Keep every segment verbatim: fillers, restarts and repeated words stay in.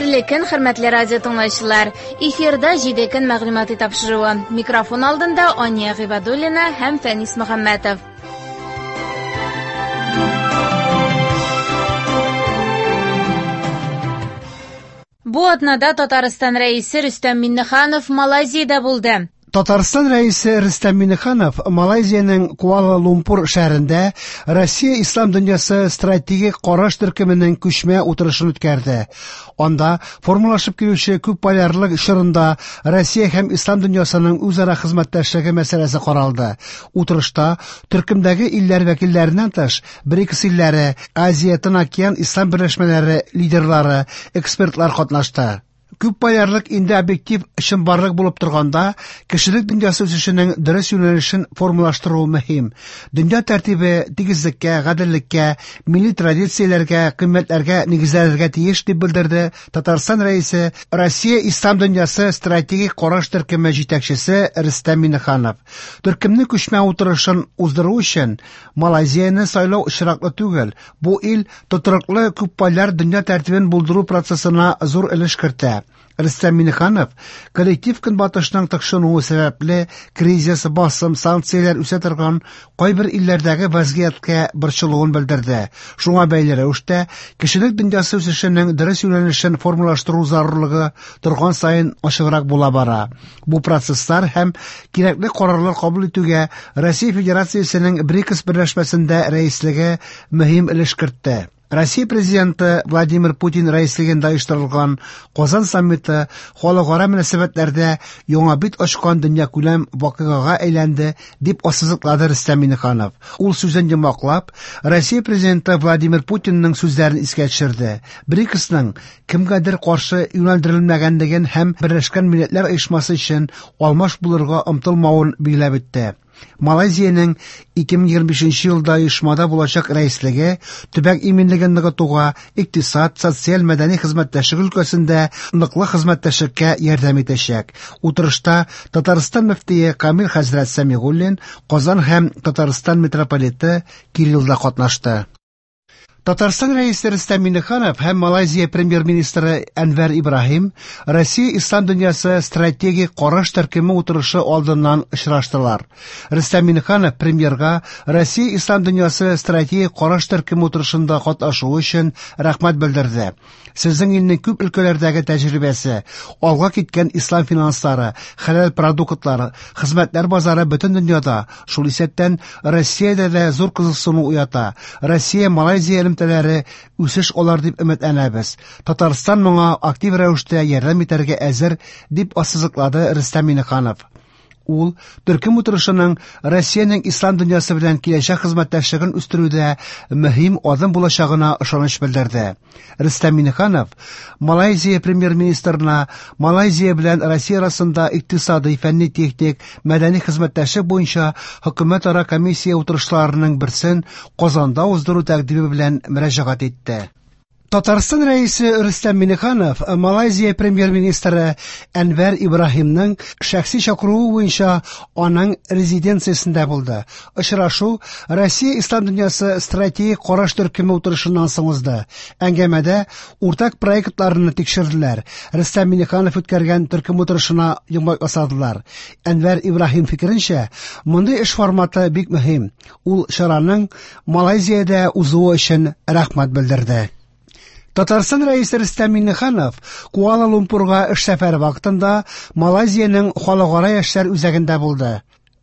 Хәерле көн, хөрмәтле радио тыңлаучылар. Эфирда җиде көн мәгълүмати тапшыруы. Микрофон алдында Ания Гыйбадуллина һәм Фәнис Мөхәммәтов. Бу атнада Татарстан рәисе Рөстәм Миңнеханов Малайзиядә булды. Татарстан рәисе Рөстәм Миңнеханов Малайзиянең Куала-Лумпур шәһәрендә Россия Ислам дөньясы стратегик караш төркеменең күчмә утырышын үткәрде. Анда формалашып килүче күпполярлык чорында Россия һәм Ислам дөньясының үзара хезмәттәшлеге мәсьәләсе каралды. Утырышта төркемдәге илләр вәкилләреннән тыш БРИКС илләре, Азия Тын океан ислам берләшмәләре лидерлары, экспертлар катнашты. Күпполярлык инде объектив чынбарлык булып торганда, кешелек дөньясы үсешенең дөрес юнәлешен формалаштыру мөһим. Дөнья тәртибе тигезлеккә, гаделлеккә, милли традицияләргә, кыйммәтләргә нигезләнергә тиеш, дип белдерде Татарстан рәисе, Россия Ислам дөньясы стратегик караш төркеме җитәкчесе Рөстәм Миңнеханов. Төркемнең күчмә утырышын уздыру өчен Малайзияне сайлау очраклы түгел. Бу ил тотрыклы күпполяр дөнья тәртибен булдыру процессына зур өлеш кертә. Рөстәм Миңнеханов коллектив көнбатышның тыкшынуы сәбәпле кризис, басым, санкцияләр үсә торган кайбер илләрдәге вазгыятькә борчылуын белдерде. Шуңа бәйле рәвештә кешелек дөньясы үсешенең дөрес юнәлешен формалаштыру зарурлыгы торган саен ачыграк була бара. Бу процесслар һәм кирәкле карарлар кабул итүгә Россия Федерациясенең БРИКС берләшмәсендә рәислеге мөһим өлеш кертте. Россия президенты Владимир Путин рәислегендә оештырылган Казан саммиты халыкара мөнәсәбәтләрдә яңа бит ачкан дөньякүләм вакыйгага әйләнде, дип ассызыклады Рөстәм Миңнеханов. Ул сүзен йомгаклап, Россия президенты Владимир Путинның сүзләрен искә төшерде. БРИКСның кемгәдер каршы юнәлдерелмәгәнлеген һәм Берләшкән Милләтләр Оешмасы өчен алмаш булырга омтылмавын билгеләп үтте. Малайзиянең ике мең егерме бишенче елда оешмада булачак рәислеге төбәк иминлеген ныгытуга, икътисад, социаль, мәдәни хезмәттәшлек өлкәсендә ныклы хезмәттәшлеккә ярдәм итәчәк. Утырышта Татарстан мөфтие Камил хәзрәт Сәмигуллин, Казан һәм Татарстан митрополиты Кирилл да катнашты. Татарстан рәисе Рөстәм Миңнеханов һәм Малайзия премьер-министры Әнвәр Ибраһим Россия Ислам дөньясы стратегик караш төркеме утырышы алдыннан очраштылар. Рөстәм Миңнеханов премьерга Россия Ислам дөньясы стратегик караш төркеме утырышында катнашуы өчен рәхмәт белдерде. Сезнең илнең күп өлкәләрдәге тәҗрибәсе, алга киткән ислам финанслары, хәләл продуктлары, хезмәтләр базары бөтен дөньяда, шул исәптән Россиядә дә зур кызыксыну уята. Россия Малайзия элемтәләре үсеш алар дип өметләнәбез. Татарстан моңа актив рәвештә ярдәм итәргә әзер, дип ассызыклады Рөстәм Миңнеханов. Ул төркем утырышының Россиянең ислам дөньясы белән киләчәк хезмәттәшлеген үстерүдә мөһим адым булачагына ышаныч белдерде. Рөстәм Миңнеханов Малайзия премьер-министрына Малайзия белән Россия арасында икътисадый, фәнни-техник, мәдәни хезмәттәшлек буенча хөкүмәтара комиссия утырышларының берсен Казанда уздыру тәкъдиме белән мөрәҗәгать итте. Татарстан рәисе Рөстәм Миңнеханов Малайзия премьер-министры Әнвәр Ибраһимның шәхси чакыруы буенча аның резиденциясендә булды. Очрашу Россия Ислам дөньясы стратегик караш төркеме утырышыннан соң узды. Әңгәмәдә уртак проектларны тикшерделәр. Рөстәм Миңнеханов үткәргән төркем утырышына йомгак ясадылар. Әнвәр Ибраһим фикеренчә, мондый эш форматы бик мөһим. Ул чараның Малайзиядә узуы өчен рәхмәт белдерде. Татарстан рәисе Рөстәм Миңнеханов Куала-Лумпурга эш сәфәре вакытында Малайзиянең халыкара яшьләр үзәгендә булды.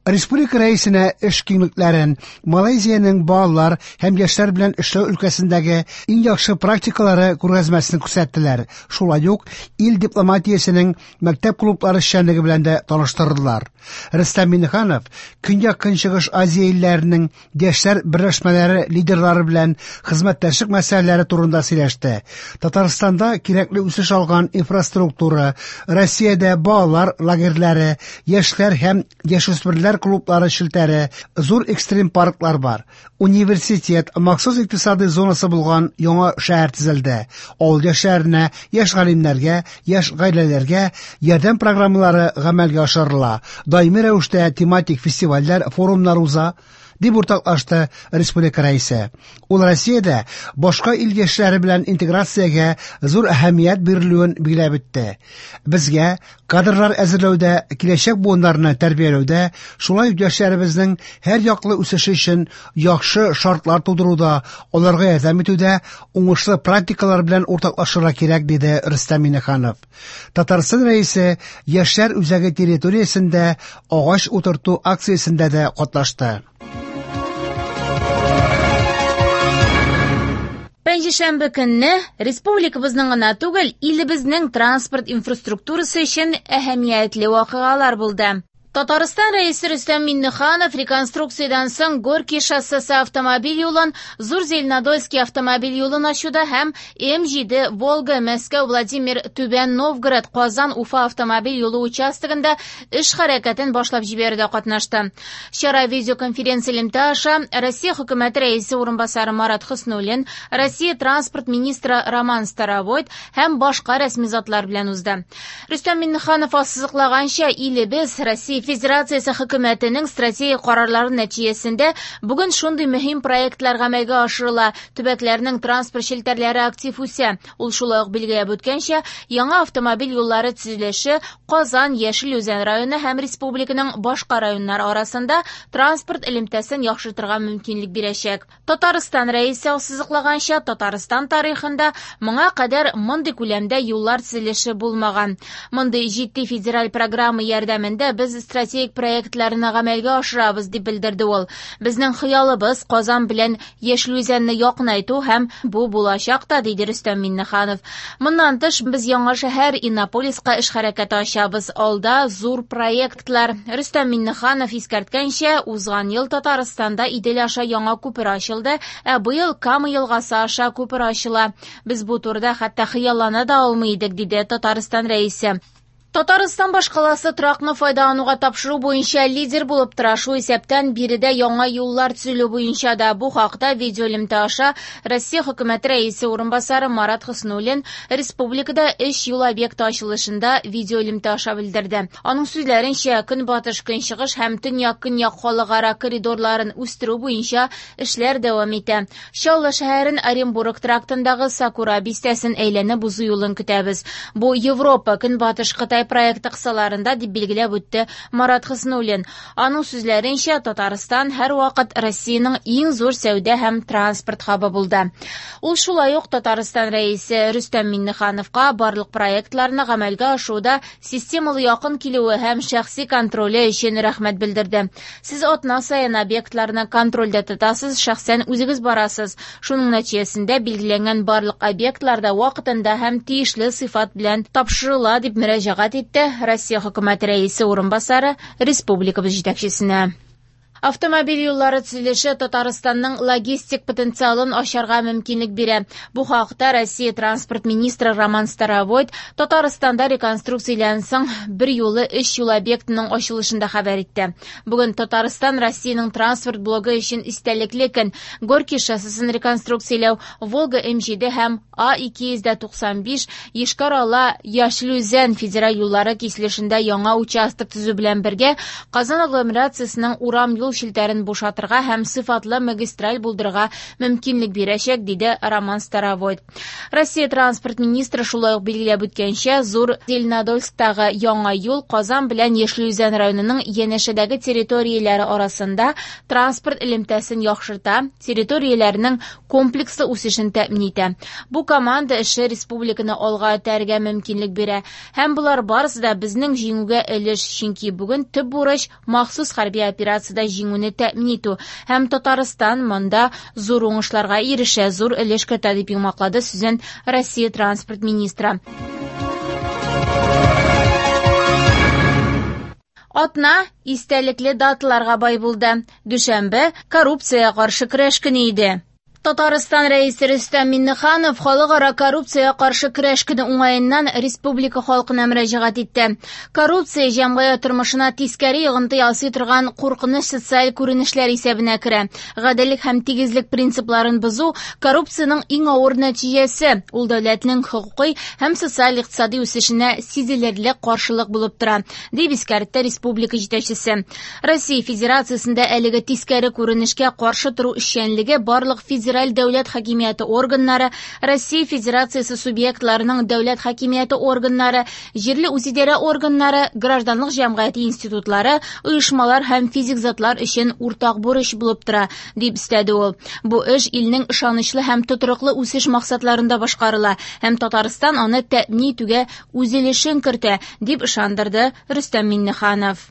Республика рәисенә эш киңлекләрен, Малайзиянең балалар һәм яшьләр белән эшләү өлкәсендәге иң яхшы практикалары күргәзмәсен күрсәттеләр. Шулай ук ил дипломатиясенең мәктәп клублары эшчәнлеге белән дә таныштырдылар. Рөстәм Миңнеханов Көньяк-Көнчыгыш Азия илләренең яшьләр берләшмәләре лидерлары белән хезмәттәшлек мәсьәләләре турында сөйләште. Татарстанда кирәкле үсеш алган инфраструктура, Россиядә балалар лагерьләре, яшьләр һәм яшүсмерләр клублары челтәре, зур экстрим парклар бар. Университет, махсус икътисадый зонасы булган яңа шәһәр төзелде. Авыл яшьләренә, яшь галимнәргә, яшь гаиләләргә ярдәм программалары гамәлгә ашырыла. Даими рәвештә тематик фестивальләр, форумнар уза, дип уртаклашты республика рәисе. Ул Россиядә башка ил яшьләре белән интеграциягә зур әһәмият бирелүен билгеләп үтте. Безгә кадрлар әзерләүдә, киләчәк буыннарны тәрбияләүдә, шулай ук яшьләребезнең һәр яклы үсеше өчен яхшы шартлар тудыруда, аларга ярдәм итүдә уңышлы практикалар белән уртаклашырга кирәк, диде Рөстәм Миңнеханов. Татарстан рәисе Яшьләр үзәге территориясендә агач утырту акциясендә дә катнашты. Пәнҗешәмбе көнне республикабызның гына түгел, илебезнең транспорт инфраструктурасы өчен әһәмиятле вакыйгалар булды. Татарстан рәисе Рөстәм Миңнеханов реконструкциядән соң Горький шоссесы автомобиль юлын, Зур Зеленодольский автомобиль юлын ачуда һәм М җиде Волга Мәскәү Владимир Түбән Новгород Казан Уфа автомобиль юлы участогында эш хәрәкәтен башлап җибәрүдә катнашты. Чара видеоконференция элемтә аша Россия хөкүмәте рәисе урынбасары Марат Хөснуллин, Россия транспорт министры Роман Старовойт һәм башка рәсми затлар белән узды. Рөстәм Миңнеханов ассызыклаганча, илебез Россия Федерациясе хөкүмәтенең стратегик карарлары нәтиҗәсендә бүген шундый мөһим проектлар гамәлгә ашырыла, төбәкләрнең транспорт челтәрләре актив үсә. Ул шулай ук билгеләп үткәнчә, яңа автомобиль юллары төзелеше Казан, Яшел Үзән районы һәм республиканың башка районнары арасында транспорт элемтәсен яхшыртырга мөмкинлек бирәчәк. Татарстан рәисе ассызыклаганча, Татарстан тарихында моңа кадәр мондый күләмдә юллар төзелеше булмаган. Мондый җитди федераль программа ярдәмендә без стратегик проектларны гамәлгә ашырабыз, дип белдерде ул. Безнең хыялыбыз Казан белән Яшел Үзәнне якынайту һәм бу булачак та, диде Рөстәм Миңнеханов. Моннан тыш, без яңа шәһәр Иннополиска эш хәрәкәте ачабыз. Алда зур проектлар. Рөстәм Миңнеханов искәрткәнчә, узган ел Татарстанда Идел аша яңа күпер ачылды, ә быел Кама елгасы аша күпер ачыла. Без бу турыда хәтта хыяллана да алмый идек, диде Татарстан рәисе. Татарстан башкаласы торакны файдалануга тапшыру буенча лидер булып тора. Шул исәптән биредә яңа юллар төзелү буенча да. Бу хакта видеоэлемтә аша Россия хөкүмәте рәисе урынбасары Марат Хөснуллин республикада өч юл объекты ачылышында видеоэлемтә аша белдерде. Аның сүзләренчә, көнбатыш, көнчыгыш һәм төньяк-көньяк халыкара коридорларын үстерү буенча эшләр дәвам итә. Чаллы шәһәрен Оренбург трактындагы Сакура бистәсен әйләнеп узу юлын көтәбез. Бу Европа, Көнбатыш, Кытай проекты кысаларында, дип билгеләп үтте Марат Хөснуллин. Аның сүзләренчә, Татарстан һәрвакыт Россиянең иң зур сәүдә һәм транспорт хабы булды. Ул шулай ук Татарстан рәисе Рөстәм Миңнехановка барлык проектларны гамәлгә ашыруда системалы якын килүе һәм шәхси контроле өчен рәхмәт белдерде. Сез атна саен объектларны контрольдә тотасыз, шәхсән үзегез барасыз. Шуның нәтиҗәсендә билгеләнгән барлык объектларда вакытында һәм тиешле сыйфат белән тапшырыла, дип мөрәҗәгать итте Россия хөкүмәте рәисе урынбасары республикабыз җитәкчесенә. Автомобиль юллары төзелеше Татарстанның логистик потенциалын ачарга мөмкинлек бирә. Бу хакта Россия транспорт министры Роман Старовойт Татарстанда реконструкциядән соң бер юлы өч юл объектының ачылышында хәбәр итте. Бүген Татарстан Россиянең транспорт блогы өчен истәлекле көн. Горький шоссесын реконструкцияләү, Волга М җиде һәм А ике йөз туксан биш Йошкар-Ола Яшел Үзән федераль юллары киселешендә яңа участок төзү белән бергә Казан агломерациясенең урам юл челтәрен бушатырга һәм сыйфатлы магистраль булдырырга мөмкинлек бирәчәк, диде Роман Старовойт. Россия транспорт министры шулай ук билгеләп үткәнчә, Зур Зеленодольсктагы яңа юл Казан белән Яшел Үзән районының янәшәдәге территорияләре арасында транспорт элемтәсен яхшырта, территорияләрнең комплекслы үсешен тәэмин итә. Бу команда эше республиканы алга этәрергә мөмкинлек бирә. Һәм болар барысы да безнең җиңүгә өлеш, чөнки бүген төп бурыч махсус хәрби операциядә җиңүне тәэмин итү. Һәм Татарстан монда зур уңышларга ирешә, зур өлеш кертә, дип йомгаклады сүзен Россия транспорт министры. Атна истәлекле даталарга бай булды. Дүшәмбе коррупциягә каршы көрәш көне иде. Татарстан Рәисе Рөстәм Миңнеханов халыкара коррупциягә каршы көрәш көне уңаеннан республика халкына мөрәҗәгать итте. Коррупция җәмгыять тормышына тискәре йогынты ясый торган куркыныч социаль күренешләр исәбенә керә. Гаделлек һәм тигезлек принципларын бозу коррупциянең иң авыр нәтиҗәсе. Ул дәүләтнең хокукый һәм социаль-икътисади үсешенә сизелерлек каршылык булып тора, дип искәртте республика җитәкчесе. Россия Федерациясендә әлеге тискәре күренешкә каршы тору эшчәнлеге барлык федераль дәүләт хакимияте органнары, Россия Федерациясе субъектларының дәүләт хакимияте органнары, җирле үзидарә органнары, гражданлык җәмгыяте институтлары, оешмалар һәм физик затлар өчен уртак бурыч булып тора, дип өстәде ул. Бу эш илнең ышанычлы һәм тотрыклы үсеш максатларында башкарыла һәм Татарстан аны тәэмин итүгә үз өлешен кертә, дип ышандырды Рөстәм Миңнеханов.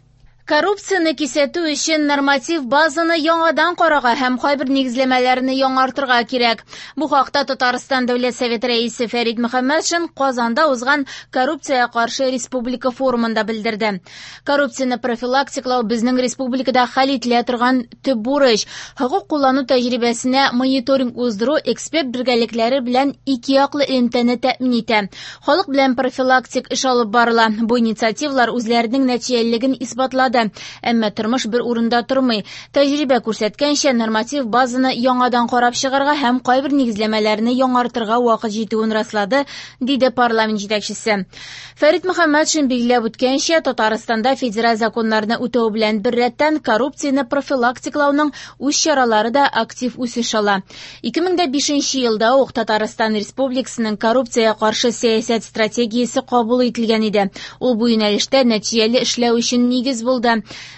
Коррупцияне кисәтү өчен норматив базаны яңадан карарга һәм кайбер нигезләмәләрне яңартырга кирәк. Бу хакта Татарстан Дәүләт Советы рәисе Фәрит Мөхәммәтшин Казанда узган коррупциягә каршы республика форумында белдерде. Коррупцияне профилактикалау безнең республикада хәл ителә торган төп бурыч. Хокук куллану тәҗрибәсенә мониторинг уздыру эксперт бергәлекләре белән ике яклы элемтәне тәэмин итә. Халык белән профилактик эш алып барыла. Бу инициативалар үзләренең нәтиҗәлелеген исбатлады. Әмма тормыш бер урында тормый. Тәҗрибә күрсәткәнчә, норматив базаны яңадан карап чыгарга һәм кайбер нигезләмәләрне яңартырга вакыт җитүен раслады, диде парламент җитәкчесе. Фәрит Мөхәммәтшин билгеләп үткәнчә, Татарстанда федераль законнарны үтәү белән беррәттән коррупцияне профилактикалауның үз чаралары да актив үсеш ала. ике мең бишенче елда ук Татарстан Республикасының коррупциягә каршы сәясәт стратегиясе кабул ителгән иде. Ул бу юнәлештә нәтиҗәле эшләү өчен нигез булды.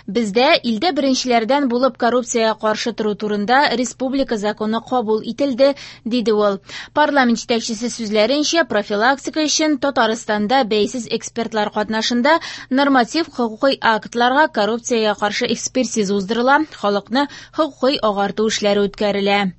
Бездә илдә беренчеләрдән булып коррупциягә каршы тору турында республика законы кабул ителде, диде ул. Парламент җитәкчесе сүзләренчә, профилактика өчен Татарстанда бәйсез экспертлар катнашында норматив хокукый актларга коррупциягә каршы экспертиза уздырыла, халыкны хокукый агарту эшләре үткәрелә.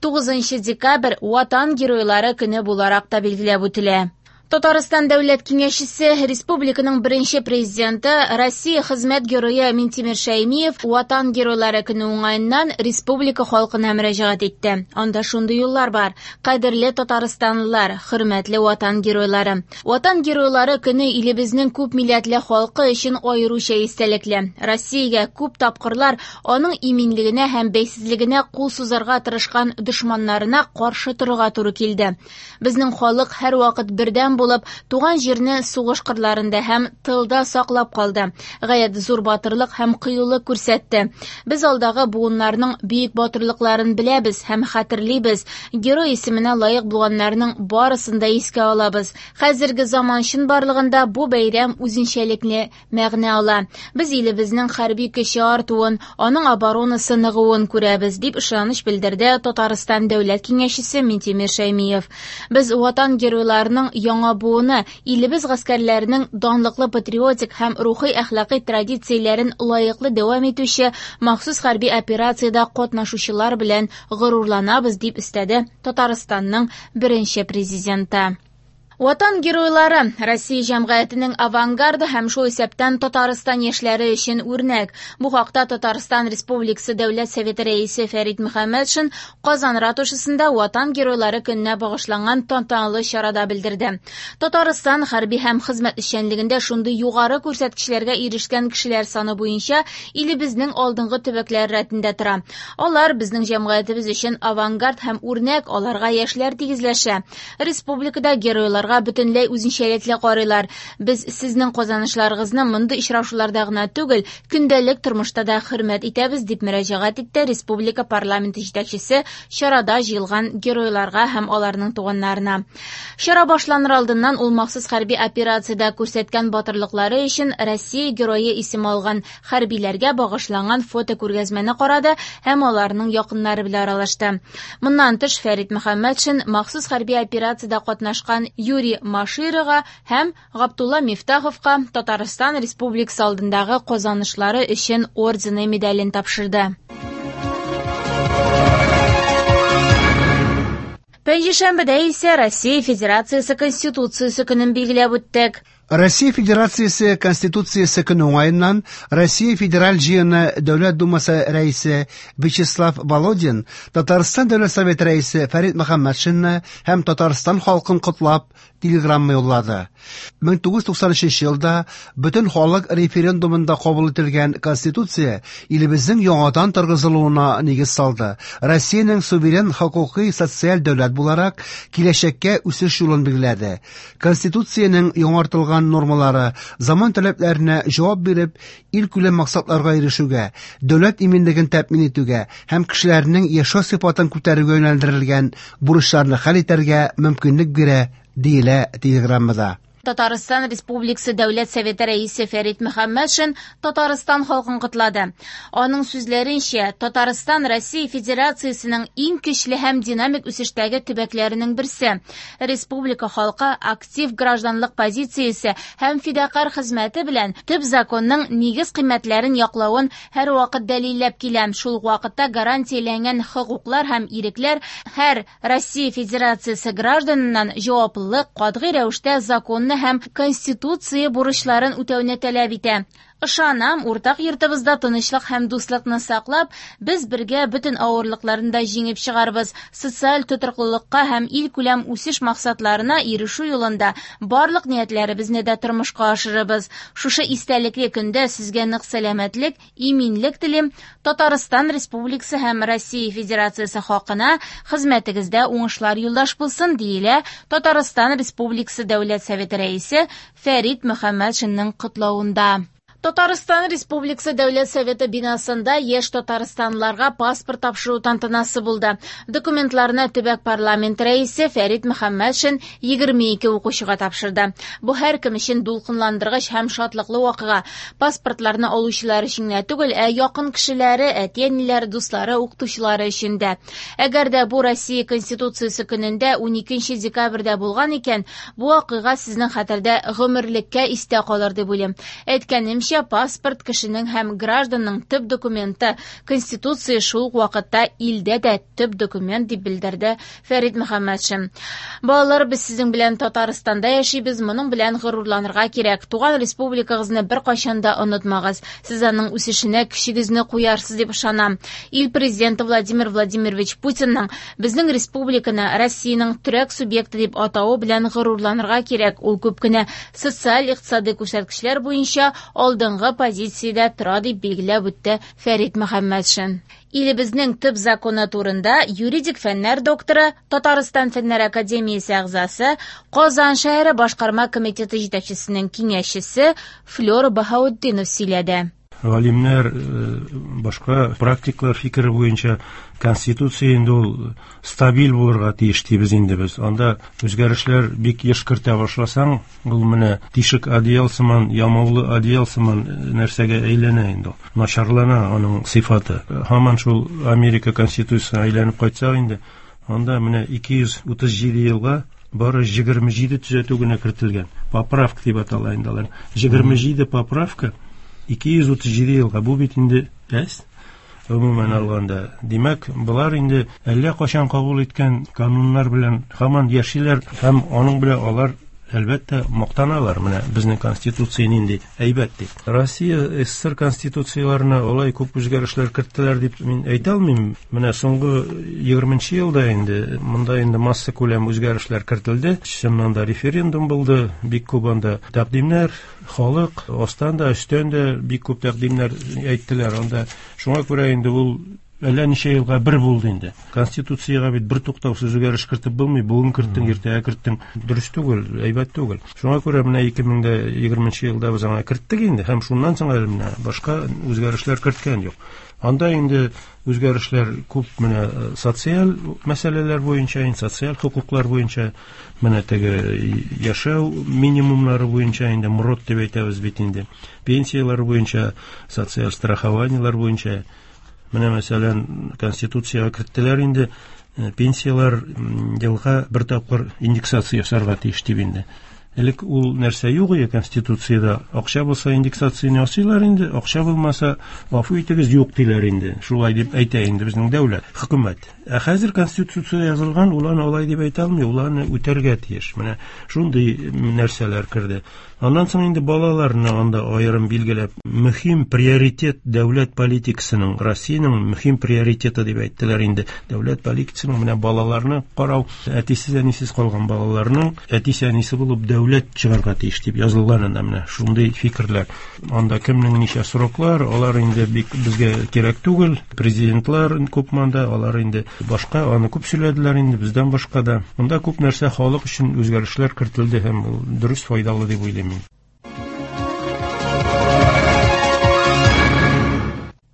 тугызынчы декабрь Ватан геройлары көне буларак та билгеләп үтелә. Татарстан Дәүләт Киңәшчесе, республиканың беренче президенты, Россия хезмәт герое Минтимер Шәймиев Ватан геройлары көне уңаеннан республика халкына мөрәҗәгать итте. Анда шундый юллар бар: Кадерле татарстанлылар, хөрмәтле Ватан геройлары. Ватан геройлары көне илебезнең күп милләтле халкы өчен аеруча истәлекле. Россиягә күп тапкырлар аның иминлегенә һәм бәйсезлегенә кул сузарга тырышкан дошманнарына каршы торырга туры килде. Безнең халык һәрвакыт бердәм булып, туган җирне сугыш кырларында һәм тылда саклап калды. Гаять зур батырлык һәм кыюлык күрсәтте. Без алдагы буыннарның бөек батырлыкларын беләбез һәм хәтерлибез. Герой исеменә лаек булганнарның барысын да искә алабыз. Хәзерге заман чынбарлыгында бу бәйрәм үзенчәлекле мәгънә ала. Без илебезнең хәрби көче артуын, аның оборонасы ныгуын күрәбез, дип ышаныч белдерде Татарстан Дәүләт Киңәшчесе Минтимер Шәймиев. Без Ватан геройларының яңа буыны, илебез гаскәрләренең данлыклы патриотик һәм рухи әхлакый традицияләрен лаеклы дәвам итүче махсус хәрби операциядә катнашучылар белән горурланабыз, дип өстәде Татарстанның беренче президенты. Ватан геройлары Россия җәмгыятенең авангарды һәм шул исәптән Татарстан яшьләре өчен үрнәк. Бу хакта Татарстан Республикасы Дәүләт Советы рәисе Фәрит Мөхәммәтшин Казан ратушасында Ватан геройлары көненә багышланган тантаналы чарада белдерде. Татарстан хәрби һәм хезмәт эшчәнлегендә шундый югары күрсәткечләргә ирешкән кешеләр саны буенча илебезнең алдынгы төбәкләре рәтендә тора. Алар безнең җәмгыятебез өчен авангард һәм үрнәк, аларга яшьләр тигезләшә. Республикада геройлар бөтенләй үзенчәлекле карыйлар. Без сезнең казанышларыгызны мондый очрашуларда гына түгел, көндәлек тормышта да хөрмәт итәбез, дип мөрәҗәгать итте республика парламенты җитәкчесе чарада җыелган геройларга һәм аларның туганнарына. Чара башланыр алдыннан ул махсус хәрби операциядә күрсәткән батырлыклары өчен Россия герое исеме алган хәрбиләргә багышланган фотокүргәзмәне карады һәм аларның якыннары белән аралашты. Моннан тыш Фәрит Мөхәммәтшин махсус хәрби операциядә катнашкан Юрий Маширова һәм Габдулла Мифтаховка Татарстан Республикасы алдындагы казанышлары өчен ордены медален тапшырды. Пәнҗешәмбедә исә Россия Федерациясе Конституциясе көнен билгеләп үттек. Россия Федерациясе Конституциясе көне уңаеннан Россия Федераль Җыены Дәүләт Думасы рәисе Вячеслав Володин Татарстан Дәүләт Советы рәисе Фәрит Мөхәммәтшинны һәм Татарстан халкын котлап телеграмма юллады. мең тугыз йөз туксан өченче елда бөтен халык референдумында кабул ителгән Конституция илебезнең яңадан торгызылуына нигез салды. Россиянең суверен хокукый социаль дәүләт буларак киләчәккә үсеш юлын билгеләде. Конституциянең яңартылган нормалары заман таләпләренә җавап биреп, илкүләм максатларга ирешүгә, дәүләт иминлеген тәэмин итүгә һәм кешеләрнең яшәү сыйфатын күтәрүгә юнәлдерелгән бурычларны хәл итәргә мөмкинлек бирә, диелә телеграммада. Татарстан Республикасы Дәүләт Советы рәисе Фәрит Мөхәммәтшин Татарстан халкын котлады. Аның сүзләренчә, Татарстан Россия Федерациясенең иң көчле һәм динамик үсештәге төбәкләренең берсе. Республика халкы актив гражданлык позициясе һәм фидакарь хезмәте белән төп законның нигез кыйммәтләрен яклавын һәрвакыт дәлилләп килә. Шул ук вакытта гарантияләнгән хокуклар һәм ирекләр һәр Россия Федерациясе гражданыннан җаваплылык, катгый рәвештә законны һәм Конституция бурычларын үтәүне таләп итә. Ышанам, уртак йортыбызда тынычлык һәм дуслыкны саклап, без бергә бөтен авырлыкларны да җиңеп чыгарбыз. Социаль тотрыклылыкка һәм илкүләм үсеш максатларына ирешү юлында барлык ниятләребезне дә тормышка ашырырбыз. Шушы истәлекле көндә сезгә нык сәламәтлек, иминлек телим. Татарстан Республикасы һәм Россия Федерациясе халкына хезмәтегездә уңышлар юлдаш булсын, диелә Татарстан Республикасы Дәүләт Советы рәисе Фәрит Мөхәммәтшинның котлавында. Татарстан Республикасы Дәүләт Советы бинасында яшь татарстанлыларга паспорт тапшыру тантанасы булды. Документларны төбәк парламент рәисе Фәрит Мөхәммәтшин егерме ике укучыга тапшырды. Бу һәркем өчен дулкынландыргыч һәм шатлыклы вакыйга. Паспортларны алучылар өчен генә түгел, ә якын кешеләре, әти-әниләре, дуслары, укытучылары өчен дә. Әгәр дә бу Россия Конституциясе көнендә уникенче декабрьдә булган икән, бу вакыйга сезнең хәтердә гомерлеккә истә калыр дип уйлыйм. Әйткәнемчә, паспорт кешенең һәм гражданның төп документы. Конституция шул ук вакытта илдә дә төп документ, дип белдерде Фәрит Мөхәммәтшин. Балалар, без сезнең белән Татарстанда яшибез, моның белән горурланырга кирәк. Туган республикагызны беркайчан да онытмагыз. Сез аның үсешенә көчегезне куярсыз дип ышанам. Ил президенты Владимир Владимирович Путинның безнең республиканы Россиянең төрәк субъекты дип атавы белән горурланырга кирәк. Ул күп кенә социаль-икътисади күрсәткечләр буенча алдынгы позициядә тора, дип билгеләп үтте Фәрит Мөхәммәтшин. Илебезнең төп законы турында юридик фәннәр докторы, Татарстан Фәннәр академиясе әгъзасы, Казан шәһәре башкарма комитеты җитәкчесенең киңәшчесе Флёр Баһаутдинов сөйләде. Галимнәр, башка практиклар фикере буенча Конституция инде ул стабиль булырга тиеш дибез инде без. Анда үзгәрешләр бик еш кертә башласаң, ул менә тишек одеял сыман, ямаулы одеял сыман нәрсәгә әйләнә инде ул. Начарлана аның сыйфаты. Һаман шул Америка Конституциясенә әйләнеп кайтсак инде, анда менә ике йөз утыз җиде елга бары егерме җиде төзәтү генә кертелгән. Поправка дип атала инде алар. Егерме җиде поправка ике йөз утыз җиде елга. Бу бит инде әз. Гомумән алганда, димәк, болар инде әллә кайчан кабул иткән кануннар белән һаман яшиләр һәм аның белән алар әлбәттә мактаналар. Менә безнең Конституция нинди әйбәт дип. Россия СССР конституцияләренә алай күп үзгәрешләр керттеләр дип мин әйтә алмыйм. Менә соңгы егерменче елда инде монда инде масса күләм үзгәрешләр кертелде. Чыннан да референдум булды, бик күп анда тәкъдимнәр, халык астан да, өстән дә бик күп тәкъдимнәр әйттеләр анда. Шуңа күрә инде ул әллә ничә елга бер булды инде. Конституциягә бит бер туктаусыз үзгәреш кертеп булмый. Бүген керттең, иртәгә керттең. Дөрес түгел, әйбәт түгел. Шуңа күрә менә ике мең дә егерменче елда без аңа керттек инде һәм шуннан соң әле менә башка үзгәрешләр керткән юк. Анда инде үзгәрешләр күп менә социаль мәсьәләләр буенча, инде социаль хокуклар буенча, менә теге яшәү минимумнары буенча инде МРОТ дип әйтәбез бит инде. Пенсияләр буенча, социаль страхованиеләр буенча. Менә мәсәлән, Конституциягә керттеләр инде, пенсияләр елга бер тапкыр индексация ясарга тиеш дип инде. Элек ул нәрсә юк иде Конституциядә. Акча булса индексацияне ясыйлар инде, акча булмаса, гафу итегез, юк диләр инде. Шулай дип әйтә инде безнең дәүләт, хөкүмәт. Ә хәзер Конституция язылган, ул аны алай дип әйтә алмый, ул аны үтәргә тиеш. Менә шундый нәрсәләр керде. Аннан соң инде балаларны анда аерым билгеләп, мөһим приоритет дәүләт политикасының, Россиянең мөһим приоритеты дип әйттеләр инде. Дәүләт политикасының менә балаларны карау, әтисез әнисез калган балаларның әтисе әнисе булып дәүләт чыгарга тиеш дип язылган анда менә шундый фикерләр. Анда кемнең ничә сроклар, алар инде бик безгә кирәк түгел. Президентлар күп монда, алар инде башка, аны күп сөйләделәр инде бездән башка да. Монда күп нәрсә халык өчен үзгәрешләр кертелде һәм ул дөрес, файдалы дип уйлыйм мин.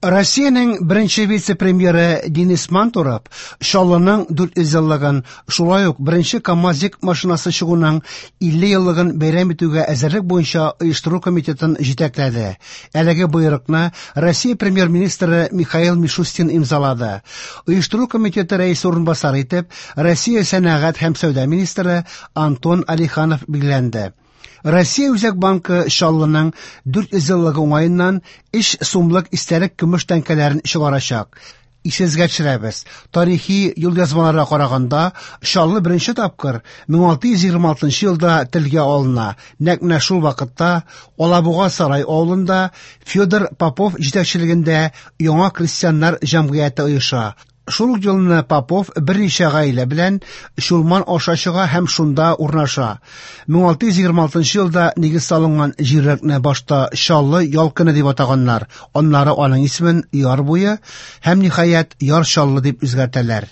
Россиянең беренче вице-премьеры Денис Мантуров Чаллының дүрт йөз еллыгын, шулай ук беренче КАМАЗик машинасы чыгуның илле еллыгын бәйрәм итүгә әзерлек буенча оештыру комитетын җитәкләде. Әлеге боерыкны Россия премьер-министры Михаил Мишустин имзалады. Оештыру комитеты рәисе урынбасары итеп Россия сәнәгать һәм сәүдә министры Антон Алиханов билгеләнде. Россия Үзәк банкы Чаллының дүрт йөз еллыгы уңаеннан өч сумлык истәлек көмеш тәңкәләрен чыгарачак. Исегезгә төшерәбез. Тарихи юлъязмаларга караганда, Чаллы беренче тапкыр мең алты йөз егерме алтынчы елда телгә алына. Нәкъ менә шул вакытта Алабуга сарай авылында Федор Попов җитәкчелегендә яңа крестьяннар җәмгыяте оеша. Шул ук елны Попов берничә гаилә белән Чулман аша чыга һәм шунда урнаша. мең алты йөз егерме алтынчы елда нигез салынган җирлекне башта Чаллы ялкыны дип атаганнар. Аннары аның исемен Яр буе һәм ниһаять Яр Чаллы дип үзгәртәләр.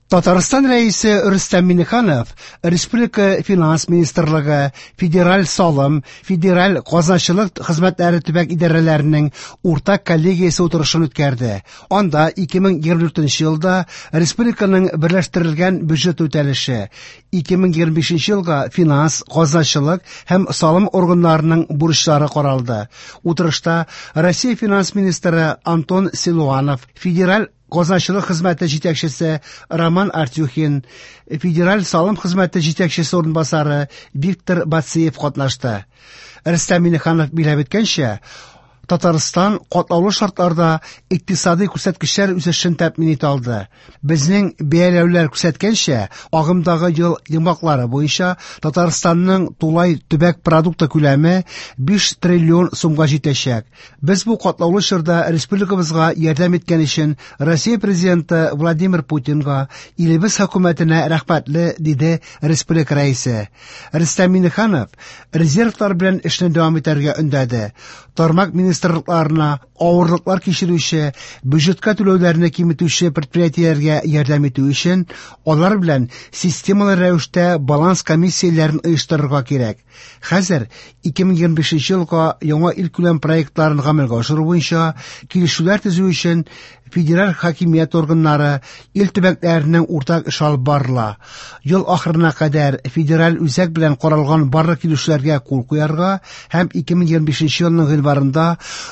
Татарстан рәисе Рөстәм Миңнеханов Республика Финанс министрлыгы, Федераль салым, Федераль казначылык хезмәтләре төбәк идарәләренең уртак коллегиясе утырышын үткәрде. Анда ике мең егерме дүртенче елда республиканың берләштерелгән бюджет үтәлеше, ике мең егерме бишенче елга финанс, казначылык һәм салым органнарының бурычлары каралды. Утырышта Россия финанс министры Антон Силуанов, Федераль казначылык хезмәте җитәкчесе Роман Артюхин, Федераль салым хезмәте җитәкчесе урынбасары Виктор Бациев катнашты. Рөстәм Миңнеханов билгеләп үткәнчә, Татарстан катлаулы шартларда икътисади күрсәткечләр үсешен тәэмин итә алды. Безнең бәяләүләр күрсәткәнчә, агымдагы ел йомгаклары буенча Татарстанның тулай төбәк продукты күләме биш триллион сумга җитәчәк. Без бу катлаулы чорда республикабызга ярдәм иткән өчен Россия президенты Владимир Путинга, илебез хөкүмәтенә рәхмәтле, диде республика рәисе. Рөстәм Миңнеханов резервлар белән эшне дәвам итәргә өндәде. Тармак министрлыкларына авырлыклар кичерүче, бюджетка түләүләрне киметүче предприятиеләргә ярдәм итү өчен алар белән системалы рәвештә баланс комиссияләрен оештырырга кирәк. Хәзер ике мең егерме бишенче елга яңа илкүләм проектларын гамәлгә ашыру буенча килешүләр төзү өчен федераль хакимият органнары ил төбәкләренең уртак эш алып барыла. Ел ахырына кадәр федераль үзәк белән каралган барлык килешүләргә кул куярга һәм ике мең егерме бишенче елның гыйнварында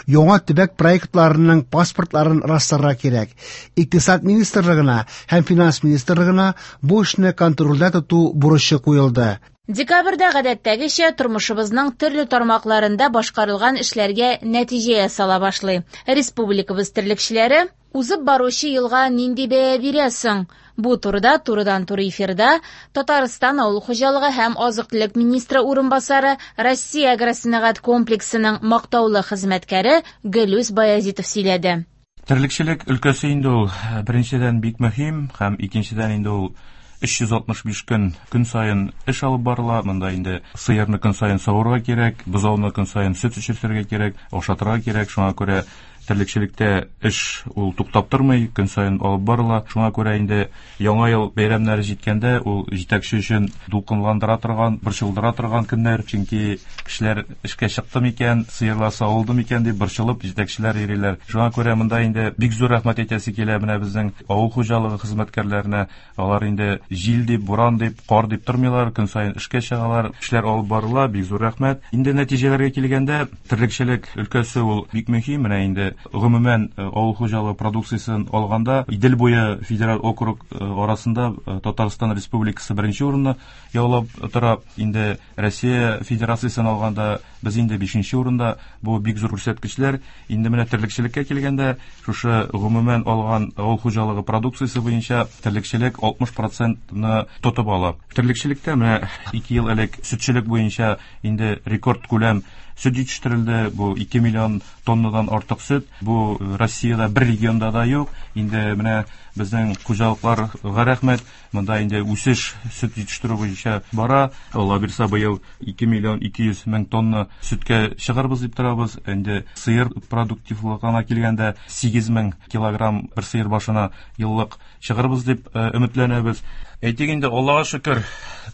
яңа төбәк проектларының паспортларын расларга кирәк. Икътисад министрлыгына һәм финанс министрлыгына бу эшне контрольдә тоту бурычы куелды. Декабрьдә гадәттәгечә тормышыбызның төрле тармакларында башкарылган эшләргә нәтиҗә ясала башлый. Республикабыз терлекчеләре узып баручы елга нинди бәя бирә соң? Бу турыда турыдан-туры эфирда Татарстан авыл хуҗалыгы һәм азык-төлек министры урынбасары, Россия агросәнәгать комплексының мактаулы хезмәткәре Гөлүс Баязитов сөйләде. Терлекчелек өлкәсе инде ул беренчедән бик мөһим һәм икенчедән инде ул өч йөз алтмыш биш көн көн саен эш алып барыла. Монда инде сыерны көн саен савырга кирәк, бозауны көн саен сөт эчертергә кирәк, ашатырга кирәк. Шуңа күрә терлекчелектә эш ул туктап тормый, көн саен алып барыла. Шуңа күрә инде яңа ел бәйрәмнәре җиткәндә ул җитәкче өчен дулкынландыра торган, борчылдыра торган көннәр, чөнки кешеләр эшкә чыкты микән, сыерлар савылды микән дип борчылып җитәкчеләр йөриләр. Шуңа күрә монда инде бик зур рәхмәт әйтәсе килә менә безнең авыл хуҗалыгы хезмәткәрләренә. Алар инде җил дип, буран дип, кар дип тормыйлар, көн саен эшкә чыгалар, эшләр алып барыла, бик зур рәхмәт. Инде нәтиҗәләргә килгәндә, терлекчелек өлкәсе ул бик мөһим. Менә инде инде гомумән авыл хуҗалыгы продукциясен алганда Идел буе федераль округ арасында Татарстан Республикасы беренче урынны яулап тора. Инде Россия Федерациясен алганда без инде бишенче урында. Бу бик зур күрсәткечләр. Инде менә терлекчелеккә килгәндә, шушы гомумән алган авыл хуҗалыгы продукциясе буенча терлекчелек алтмыш процентны тотып ала. Терлекчелектә менә ике ел элек сөтчелек буенча инде рекорд күләм сөт җитештерелде. Бу ике миллион тоннадан артык сөт. Бу Россиядә бер регионда да юк. Инде менә безнең хуҗалыкларга рәхмәт. Монда инде үсеш сөт җитештерү буенча бара. Алла бирсә, быел ике миллион ике йөз мең тонна сөткә чыгарбыз дип торабыз. Инде сыер продуктивлыгына килгәндә сигез мең килограмм бер сыер башына еллык чыгарбыз дип өметләнәбез. Әйтик инде, Аллага шөкер,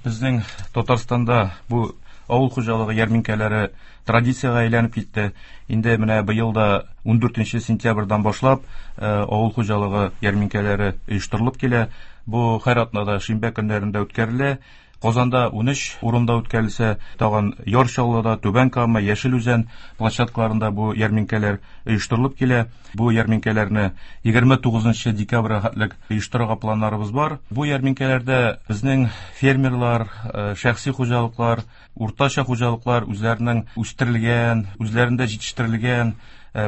безнең Татарстанда бу авыл хуҗалыгы ярминкәләре традициягә әйләнеп китте. Инде менә быел да ундүртенче сентябрьдән башлап авыл хуҗалыгы ярминкәләре оештырылып килә. Бу һәр атнада шимбә көннәрендә үткәрелә. Казанда унөч урында үткәрелсә, тагын Яр Чаллыда, Түбән Кама, Яшел Үзән площадкаларында бу ярминкәләр оештырылып килә. Бу ярминкәләрне егерме тугызынчы декабрьгә хәтлек оештырырга планнарыбыз бар. Бу ярминкәләрдә безнең фермерлар, шәхси хуҗалыклар, уртача хуҗалыклар үзләренең үстерелгән, үзләрендә җитештерелгән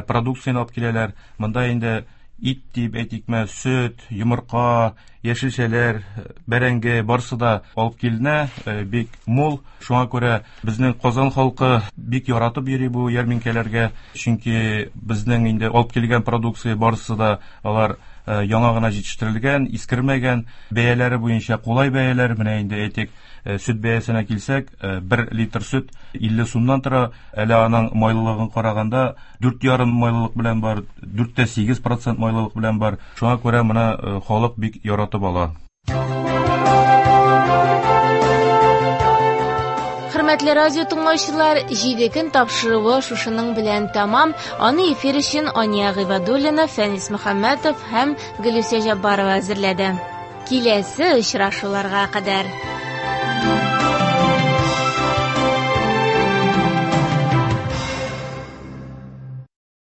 продукцияне алып киләләр. Монда инде ит дип әйтикме, сөт, йомырка, яшелчәләр, бәрәңге барсы да алып киленә, бик мул. Шуңа күрә безнең Казан халкы бик яратып йөри бу ярминкәләргә, чөнки безнең инде алып килгән продукция барысы да алар яңа гына җитештерелгән, искермәгән, бәяләре буенча кулай бәяләр. Менә инде әйтик, сөт бәясенә килсәк, бер литр сөт илле сумнан тора. Әле аның майлылыгын караганда дүрт ярым майлылык белән бар, дүрт тә сигез процент майлылык белән бар. Шуңа күрә моны халык бик яратып ала. Хөрмәтле радио тыңлаучылар, җиде көн тапшыруы шушының белән тәмам. Аны эфир өчен Ания Гыйбадуллина, Фәнис Мөхәммәтов һәм Гөлүсә Җаббарова әзерләде. Киләсе очрашуларга кадәр.